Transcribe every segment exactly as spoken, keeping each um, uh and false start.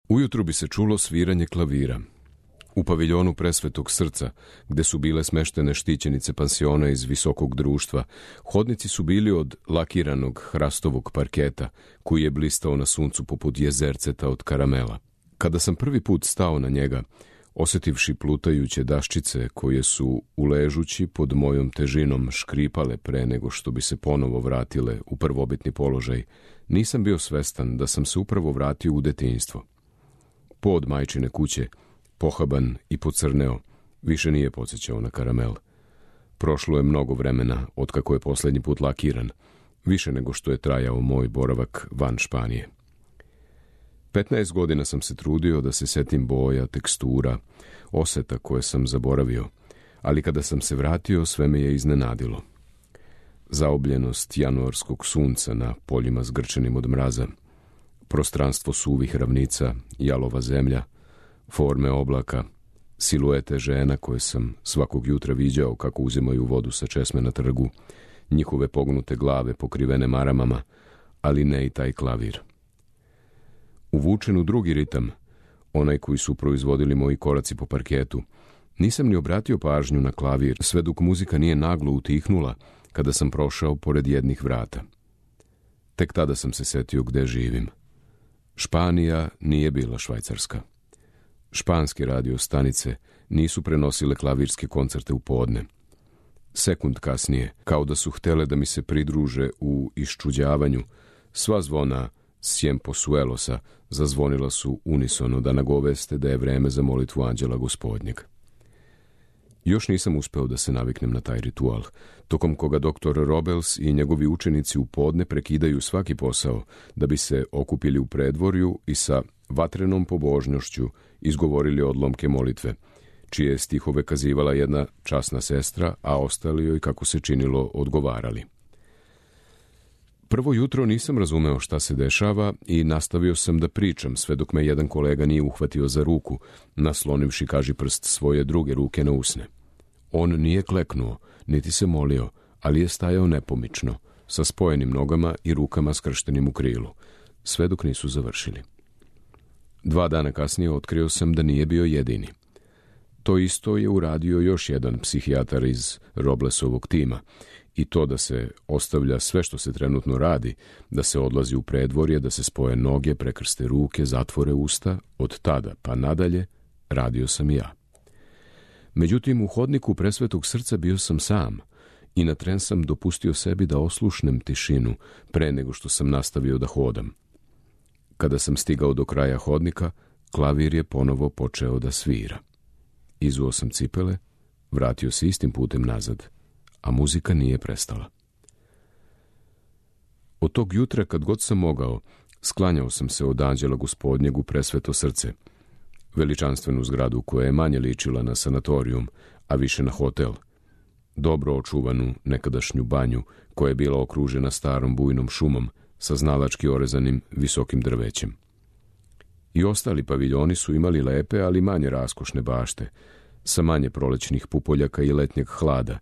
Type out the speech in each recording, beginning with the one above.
Ujutru bi se čulo sviranje klavira. U paviljonu Presvetog Srca, gde su bile smeštene štićenice pansiona iz visokog društva, hodnici su bili od lakiranog hrastovog parketa, koji je blistao na suncu poput jezerceta od karamela. Kada sam prvi put stao na njega, osjetivši plutajuće daščice koje su, uležući pod mojom težinom, škripale pre nego što bi se ponovo vratile u prvobitni položaj, nisam bio svestan da sam se upravo vratio u detinjstvo. Pod majčine kuće, pohaban i pocrneo, više nije podsjećao na karamel. Prošlo je mnogo vremena otkako je posljednji put lakiran, više nego što je trajao moj boravak van Španije. Petnaest godina sam se trudio da se setim boja, tekstura, oseta koje sam zaboravio, ali kada sam se vratio, sve me je iznenadilo. Zaobljenost januarskog sunca na poljima zgrčenim od mraza, prostranstvo suvih ravnica, jalova zemlja, forme oblaka, siluete žena koje sam svakog jutra viđao kako uzimaju vodu sa česme na trgu, njihove pognute glave pokrivene maramama, ali ne i taj klavir. Uvučen u drugi ritam, onaj koji su proizvodili moji koraci po parketu, nisam ni obratio pažnju na klavir, sve dok muzika nije naglo utihnula kada sam prošao pored jednih vrata. Tek tada sam se setio gde živim. Španija nije bila Švajcarska. Španske radio stanice nisu prenosile klavirske koncerte u podne. Sekund kasnije, kao da su htele da mi se pridruže u iščuđavanju, sva zvona Ciemposuelosa zazvonila su unisono da nagoveste da je vreme za molitvu anđela gospodnjeg. Još nisam uspeo da se naviknem na taj ritual, tokom koga doktor Robles i njegovi učenici u podne prekidaju svaki posao da bi se okupili u predvorju i sa vatrenom pobožnošću izgovorili odlomke molitve, čije stihove kazivala jedna časna sestra, a ostali joj, kako se činilo, odgovarali. Prvo jutro nisam razumeo šta se dešava i nastavio sam da pričam, sve dok me jedan kolega nije uhvatio za ruku, naslonivši kažiprst svoje druge ruke na usne. On nije kleknuo, niti se molio, ali je stajao nepomično, sa spojenim nogama i rukama skrštenim u krilu, sve dok nisu završili. Dva dana kasnije otkrio sam da nije bio jedini. To isto je uradio još jedan psihijatar iz Roblesovog tima, i to da se ostavlja sve što se trenutno radi, da se odlazi u predvorje, da se spoje noge, prekrste ruke, zatvore usta, od tada pa nadalje radio sam ja. Međutim, u hodniku Presvetog Srca bio sam sam i na tren sam dopustio sebi da oslušnem tišinu pre nego što sam nastavio da hodam. Kada sam stigao do kraja hodnika, klavir je ponovo počeo da svira. Izuo sam cipele, vratio se istim putem nazad, a muzika nije prestala. Od tog jutra, kad god sam mogao, sklanjao sam se od anđela gospodnjeg u Presveto Srce, veličanstvenu zgradu koja je manje ličila na sanatorijum, a više na hotel, dobro očuvanu nekadašnju banju koja je bila okružena starom bujnom šumom sa znalački orezanim visokim drvećem. I ostali paviljoni su imali lepe, ali manje raskošne bašte, sa manje prolećnih pupoljaka i letnjeg hlada,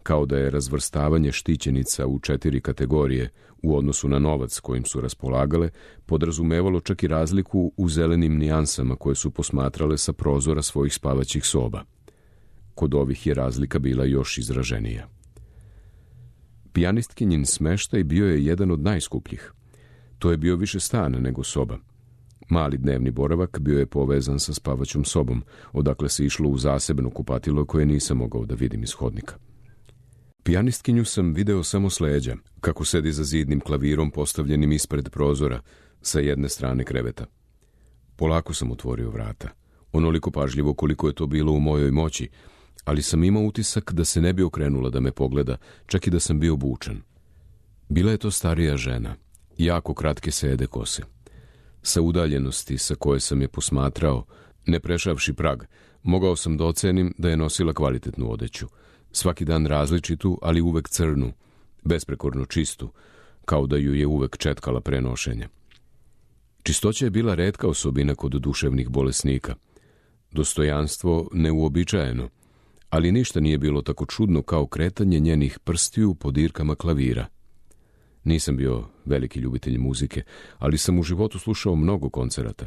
kao da je razvrstavanje štićenica u četiri kategorije u odnosu na novac kojim su raspolagale podrazumevalo čak i razliku u zelenim nijansama koje su posmatrale sa prozora svojih spavaćih soba. Kod ovih je razlika bila još izraženija. Pijanistkinjin smeštaj bio je jedan od najskupljih. To je bio više stan nego soba. Mali dnevni boravak bio je povezan sa spavaćom sobom, odakle se išlo u zasebno kupatilo koje nisam mogao da vidim iz hodnika. Pijanistkinju sam video samo s leđa, kako sedi za zidnim klavirom postavljenim ispred prozora, sa jedne strane kreveta. Polako sam otvorio vrata, onoliko pažljivo koliko je to bilo u mojoj moći, ali sam imao utisak da se ne bi okrenula da me pogleda, čak i da sam bio bučan. Bila je to starija žena, jako kratke sede kose. Sa udaljenosti sa koje sam je posmatrao, ne prešavši prag, mogao sam da ocenim da je nosila kvalitetnu odeću, svaki dan različitu, ali uvek crnu, besprekorno čistu, kao da ju je uvek četkala pre nošenja. Čistoća je bila retka osobina kod duševnih bolesnika. Dostojanstvo neuobičajeno, ali ništa nije bilo tako čudno kao kretanje njenih prstiju po dirkama klavira. Nisam bio veliki ljubitelj muzike, ali sam u životu slušao mnogo koncerata.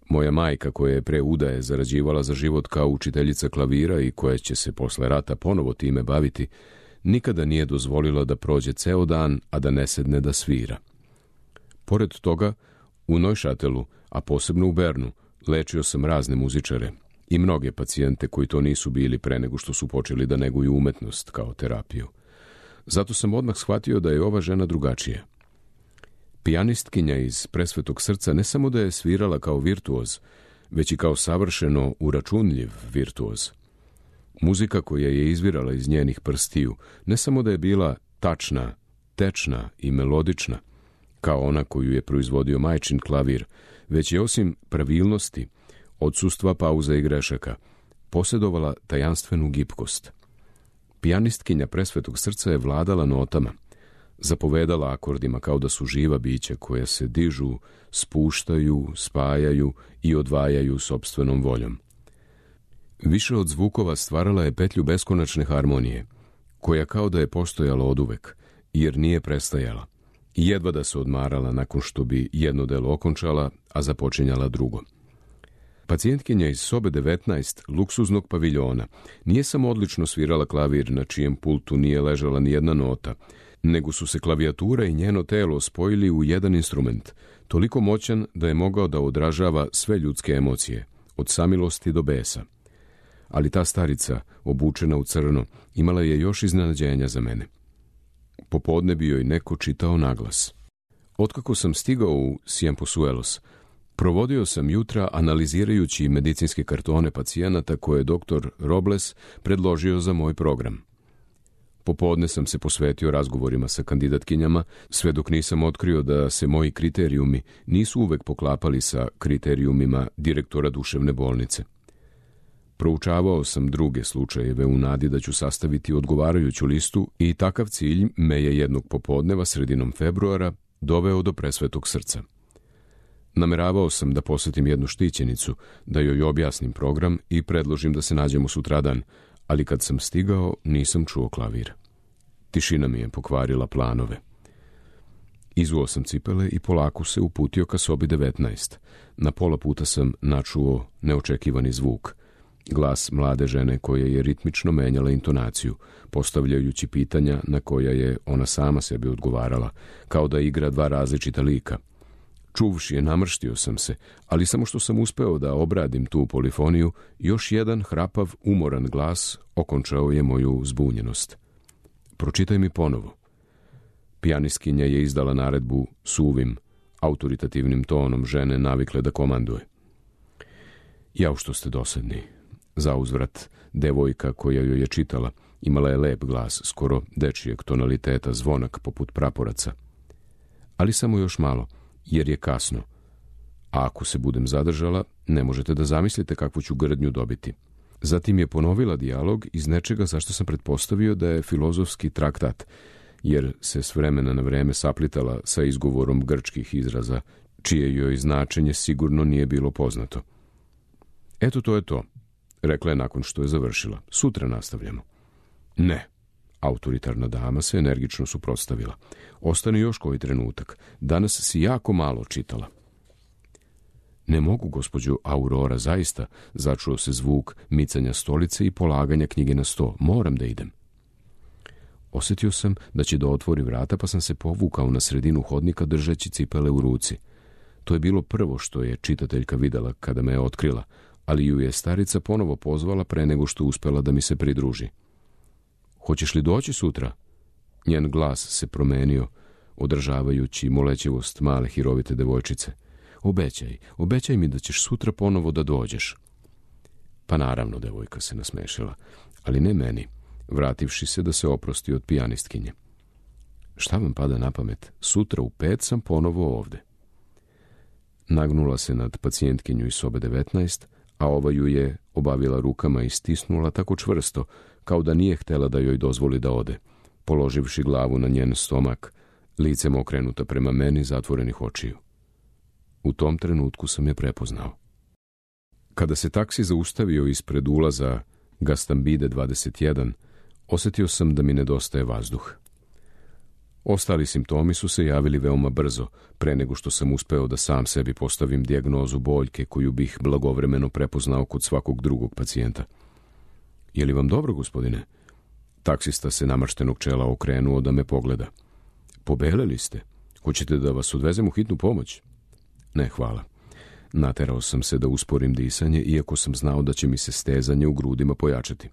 Moja majka, koja je pre udaje zarađivala za život kao učiteljica klavira i koja će se posle rata ponovo time baviti, nikada nije dozvolila da prođe ceo dan, a da ne sedne da svira. Pored toga, u Neušatelu, a posebno u Bernu, lečio sam razne muzičare i mnoge pacijente koji to nisu bili pre nego što su počeli da neguju umetnost kao terapiju. Zato sam odmah shvatio da je ova žena drugačija. Pijanistkinja iz Presvetog srca ne samo da je svirala kao virtuoz, već i kao savršeno uračunljiv virtuoz. Muzika koja je izvirala iz njenih prstiju ne samo da je bila tačna, tečna i melodična, kao ona koju je proizvodio majčin klavir, već je osim pravilnosti, odsustva pauza i grešaka, posjedovala tajanstvenu gibkost. Pijanistkinja Presvetog srca je vladala notama, zapovedala akordima kao da su živa bića koja se dižu, spuštaju, spajaju i odvajaju sopstvenom voljom. Više od zvukova stvarala je petlju beskonačne harmonije, koja kao da je postojala oduvek, jer nije prestajala, i jedva da se odmarala nakon što bi jedno delo okončala, a započinjala drugo. Pacijentkinja iz sobe devetnaest luksuznog paviljona nije samo odlično svirala klavir na čijem pultu nije ležala ni jedna nota, nego su se klavijatura i njeno telo spojili u jedan instrument, toliko moćan da je mogao da odražava sve ljudske emocije, od samilosti do besa. Ali ta starica, obučena u crno, imala je još iznenađenja za mene. Popodne bi joj neko čitao naglas. Otkako sam stigao u Ciempozuelos, provodio sam jutra analizirajući medicinske kartone pacijenata koje je doktor Robles predložio za moj program. Popodne sam se posvetio razgovorima sa kandidatkinjama, sve dok nisam otkrio da se moji kriterijumi nisu uvek poklapali sa kriterijumima direktora duševne bolnice. Proučavao sam druge slučajeve u nadi da ću sastaviti odgovarajuću listu i takav cilj me je jednog popodneva sredinom februara doveo do Presvetog srca. Nameravao sam da posetim jednu štićenicu, da joj objasnim program i predložim da se nađemo sutradan, ali kad sam stigao nisam čuo klavir. Tišina mi je pokvarila planove. Izuo sam cipele i polako se uputio ka sobi devetnaest. Na pola puta sam načuo neočekivani zvuk. Glas mlade žene koja je ritmično menjala intonaciju, postavljajući pitanja na koja je ona sama sebi odgovarala, kao da igra dva različita lika. Čuvši je, namrštio sam se, ali samo što sam uspeo da obradim tu polifoniju, još jedan hrapav, umoran glas okončao je moju zbunjenost. Pročitaj mi ponovo. Pijanistkinja je izdala naredbu suvim, autoritativnim tonom žene navikle da komanduje. Jao što ste dosadni. Zauzvrat, devojka koja joj je čitala imala je lep glas, skoro dečijeg tonaliteta, zvonak poput praporaca. Ali samo još malo, jer je kasno. A ako se budem zadržala, ne možete da zamislite kakvu ću grdnju dobiti. Zatim je ponovila dijalog iz nečega zašto sam pretpostavio da je filozofski traktat, jer se s vremena na vreme saplitala sa izgovorom grčkih izraza, čije joj značenje sigurno nije bilo poznato. Eto, to je to, rekla je nakon što je završila. Sutra nastavljamo. Ne. Autoritarna dama se energično suprotstavila. Ostani još koji trenutak. Danas si jako malo čitala. Ne mogu, gospođo Aurora, zaista, začuo se zvuk micanja stolice i polaganja knjige na sto. Moram da idem. Osjetio sam da će da otvori vrata, pa sam se povukao na sredinu hodnika držeći cipele u ruci. To je bilo prvo što je čitateljka videla kada me je otkrila, ali ju je starica ponovo pozvala pre nego što uspela da mi se pridruži. Hoćeš li doći sutra? Njen glas se promenio, održavajući molećivost male hirovite devojčice. Obećaj, obećaj mi da ćeš sutra ponovo da dođeš. Pa naravno, devojka se nasmešila, ali ne meni, vrativši se da se oprosti od pijanistkinje. Šta vam pada na pamet? Sutra u pet sam ponovo ovde. Nagnula se nad pacijentkinju iz sobe devetnaest, a ova ju je obavila rukama i stisnula tako čvrsto, kao da nije htela da joj dozvoli da ode, položivši glavu na njen stomak, licem okrenuta prema meni zatvorenih očiju. U tom trenutku sam je prepoznao. Kada se taksi zaustavio ispred ulaza Gastambide dvadeset jedan, osjetio sam da mi nedostaje vazduh. Ostali simptomi su se javili veoma brzo, pre nego što sam uspeo da sam sebi postavim dijagnozu boljke koju bih blagovremeno prepoznao kod svakog drugog pacijenta. Je li vam dobro, gospodine? Taksista se namrštenog čela okrenuo da me pogleda. Pobeleli ste. Hoćete da vas odvezem u hitnu pomoć? Ne, hvala. Naterao sam se da usporim disanje, iako sam znao da će mi se stezanje u grudima pojačati.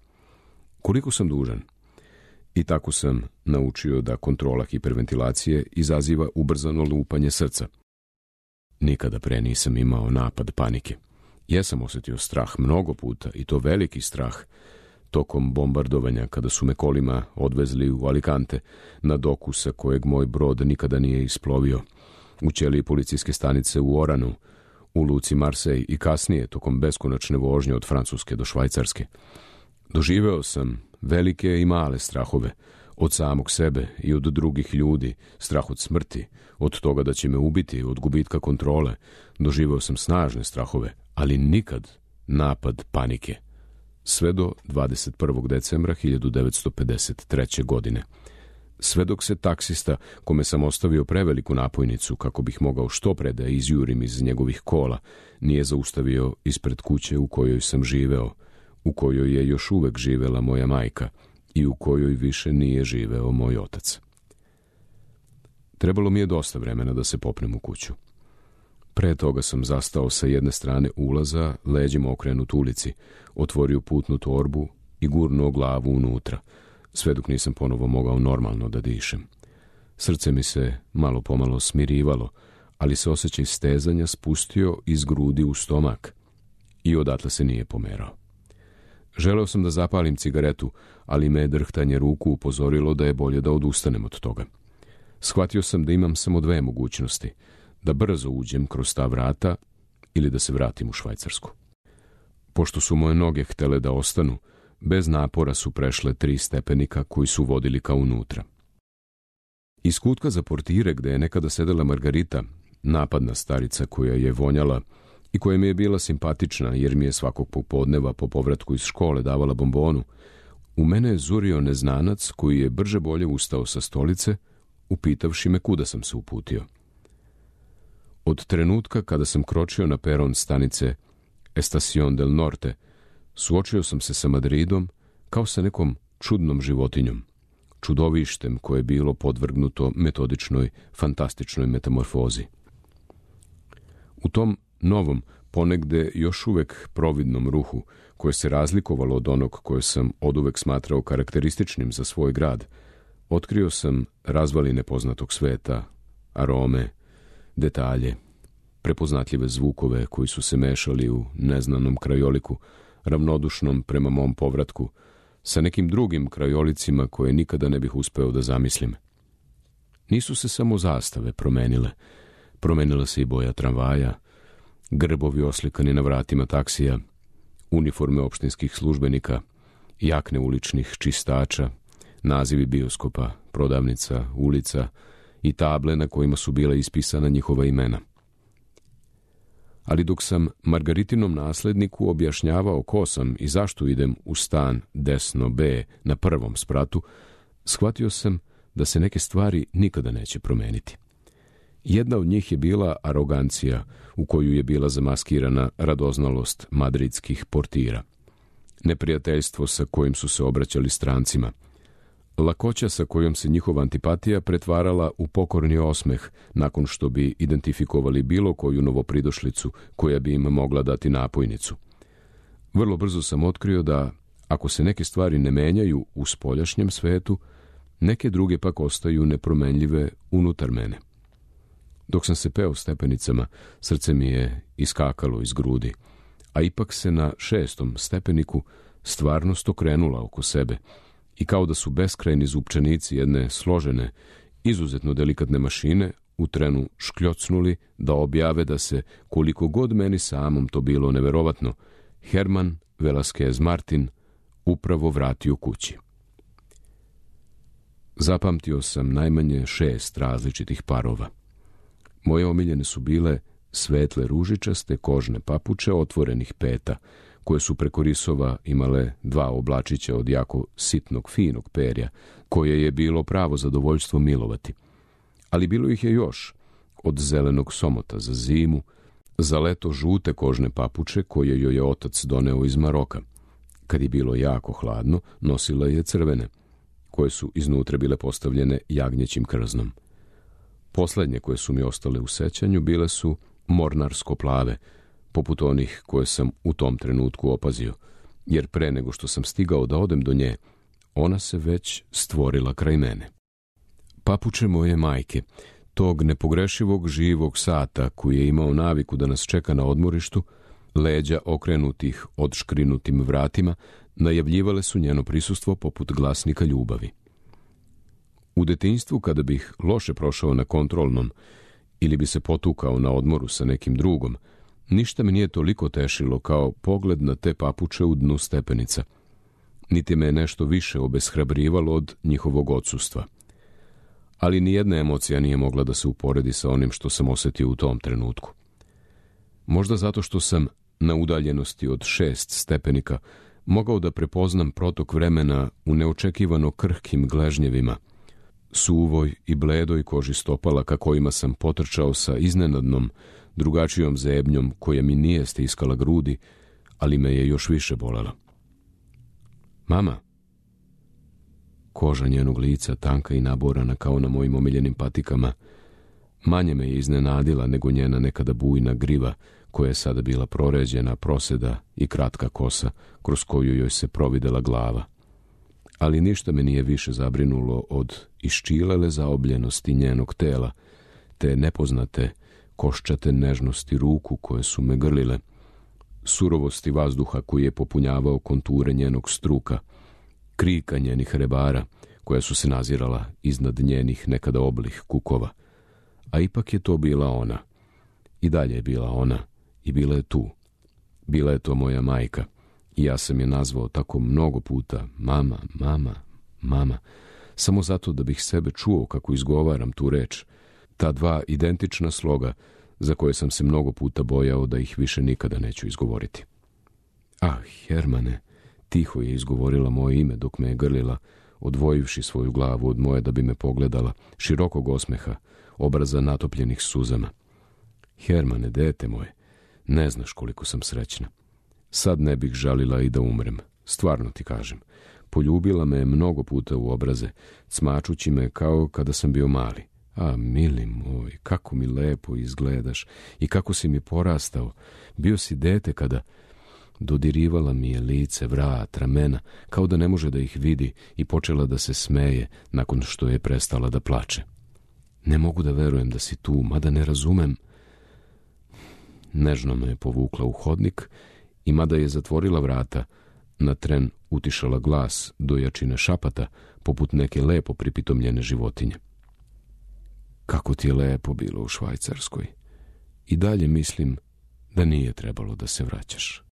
Koliko sam dužan? I tako sam naučio da kontrola hiperventilacije izaziva ubrzano lupanje srca. Nikada pre nisam imao napad panike. Jesam osjetio strah mnogo puta, i to veliki strah, tokom bombardovanja kada su me kolima odvezli u Alicante, na doku sa kojeg moj brod nikada nije isplovio, u ćeliji policijske stanice u Oranu, u luci Marseille i kasnije tokom beskonačne vožnje od Francuske do Švajcarske. Doživeo sam velike i male strahove, od samog sebe i od drugih ljudi, strah od smrti, od toga da će me ubiti, od gubitka kontrole. Doživeo sam snažne strahove, ali nikad napad panike. Sve do dvadeset prvog decembra hiljadu devetsto pedeset treće. godine. Sve dok se taksista, kome sam ostavio preveliku napojnicu kako bih mogao što pre da izjurim iz njegovih kola, nije zaustavio ispred kuće u kojoj sam živeo, u kojoj je još uvek živela moja majka i u kojoj više nije živeo moj otac. Trebalo mi je dosta vremena da se popnem u kuću. Pre toga sam zastao sa jedne strane ulaza, leđima okrenut ulici, otvorio putnu torbu i gurnuo glavu unutra, sve dok nisam ponovo mogao normalno da dišem. Srce mi se malo pomalo smirivalo, ali se osjećaj stezanja spustio iz grudi u stomak i odatle se nije pomerao. Želeo sam da zapalim cigaretu, ali me drhtanje ruku upozorilo da je bolje da odustanem od toga. Shvatio sam da imam samo dve mogućnosti, da brzo uđem kroz ta vrata ili da se vratim u Švajcarsku. Pošto su moje noge htele da ostanu, bez napora su prešle tri stepenika koji su vodili ka unutra. Iz kutka za portire, gde je nekada sedela Margarita, napadna starica koja je vonjala i koja mi je bila simpatična jer mi je svakog popodneva po povratku iz škole davala bombonu, u mene je zurio neznanac koji je brže bolje ustao sa stolice, upitavši me kuda sam se uputio. Od trenutka kada sam kročio na peron stanice Estación del Norte, suočio sam se sa Madridom kao sa nekom čudnom životinjom, čudovištem koje je bilo podvrgnuto metodičnoj, fantastičnoj metamorfozi. U tom novom, ponegde još uvek providnom ruhu, koje se razlikovalo od onog koje sam oduvek smatrao karakterističnim za svoj grad, otkrio sam razvaline poznatog sveta, arome, detalje, prepoznatljive zvukove koji su se mešali u neznanom krajoliku, ravnodušnom prema mom povratku, sa nekim drugim krajolicima koje nikada ne bih uspeo da zamislim. Nisu se samo zastave promenile, promenila se i boja tramvaja, grbovi oslikani na vratima taksija, uniforme opštinskih službenika, jakne uličnih čistača, nazivi bioskopa, prodavnica, ulica i table na kojima su bila ispisana njihova imena. Ali dok sam Margaritinom nasledniku objašnjavao ko sam i zašto idem u stan desno B na prvom spratu, shvatio sam da se neke stvari nikada neće promeniti. Jedna od njih je bila arogancija u koju je bila zamaskirana radoznalost madridskih portira, neprijateljstvo sa kojim su se obraćali strancima, lakoća sa kojom se njihova antipatija pretvarala u pokorni osmeh nakon što bi identifikovali bilo koju novopridošlicu koja bi im mogla dati napojnicu. Vrlo brzo sam otkrio da, ako se neke stvari ne menjaju u spoljašnjem svetu, neke druge pak ostaju nepromenljive unutar mene. Dok sam se peo stepenicama, srce mi je iskakalo iz grudi, a ipak se na šestom stepeniku stvarnost okrenula oko sebe i kao da su beskrajni zupčanici jedne složene, izuzetno delikatne mašine u trenu škljocnuli da objave da se, koliko god meni samom to bilo neverovatno, Herman Velasquez Martin upravo vratio kući. Zapamtio sam najmanje šest različitih parova. Moje omiljene su bile svetle ružičaste kožne papuče otvorenih peta, koje su preko risova imale dva oblačića od jako sitnog, finog perja, koje je bilo pravo zadovoljstvo milovati. Ali bilo ih je još, od zelenog somota za zimu, za leto žute kožne papuče koje joj je otac doneo iz Maroka. Kad je bilo jako hladno, nosila je crvene, koje su iznutra bile postavljene jagnjećim krznom. Poslednje koje su mi ostale u sećanju bile su mornarsko-plave, poput onih koje sam u tom trenutku opazio, jer pre nego što sam stigao da odem do nje, ona se već stvorila kraj mene. Papuče moje majke, tog nepogrešivog živog sata koji je imao naviku da nas čeka na odmorištu, leđa okrenutih odškrinutim vratima, najavljivale su njeno prisustvo poput glasnika ljubavi. U detinjstvu, kada bih loše prošao na kontrolnom ili bi se potukao na odmoru sa nekim drugom, ništa me nije toliko tešilo kao pogled na te papuče u dnu stepenica, niti me je nešto više obeshrabrivalo od njihovog odsustva. Ali nijedna emocija nije mogla da se uporedi sa onim što sam osetio u tom trenutku. Možda zato što sam na udaljenosti od šest stepenika mogao da prepoznam protok vremena u neočekivano krhkim gležnjevima, suvoj i bledoj koži stopala ka kojima sam potrčao sa iznenadnom, drugačijom zebnjom koja mi nije stiskala grudi, ali me je još više bolela. Mama! Koža njenog lica, tanka i naborana kao na mojim omiljenim patikama, manje me je iznenadila nego njena nekada bujna griva, koja je sada bila proređena, proseda i kratka kosa, kroz koju joj se providela glava. Ali ništa me nije više zabrinulo od iščilele zaobljenosti njenog tela, te nepoznate, koščate nežnosti ruku koje su me grlile, surovosti vazduha koji je popunjavao konture njenog struka, krika njenih rebara koja su se nazirala iznad njenih nekada oblih kukova. A ipak je to bila ona. I dalje je bila ona. I bila je tu. Bila je to moja majka. I ja sam je nazvao tako mnogo puta mama, mama, mama, samo zato da bih sebe čuo kako izgovaram tu reč. Ta dva identična sloga za koje sam se mnogo puta bojao da ih više nikada neću izgovoriti. Ah, Hermane, tiho je izgovorila moje ime dok me je grlila, odvojivši svoju glavu od moje da bi me pogledala, širokog osmeha, obraza natopljenih suzama. Hermane, dete moje, ne znaš koliko sam srećna. Sad ne bih žalila i da umrem, stvarno ti kažem. Poljubila me je mnogo puta u obraze, cmačući me kao kada sam bio mali. A, mili moj, kako mi lepo izgledaš i kako si mi porastao. Bio si dete kada... Dodirivala mi je lice, vrat, ramena, kao da ne može da ih vidi i počela da se smeje nakon što je prestala da plače. Ne mogu da verujem da si tu, mada ne razumem. Nežno me je povukla u hodnik i mada je zatvorila vrata, na tren utišala glas do jačine šapata, poput neke lepo pripitomljene životinje. Kako ti je lepo bilo u Švajcarskoj. I dalje mislim da nije trebalo da se vraćaš.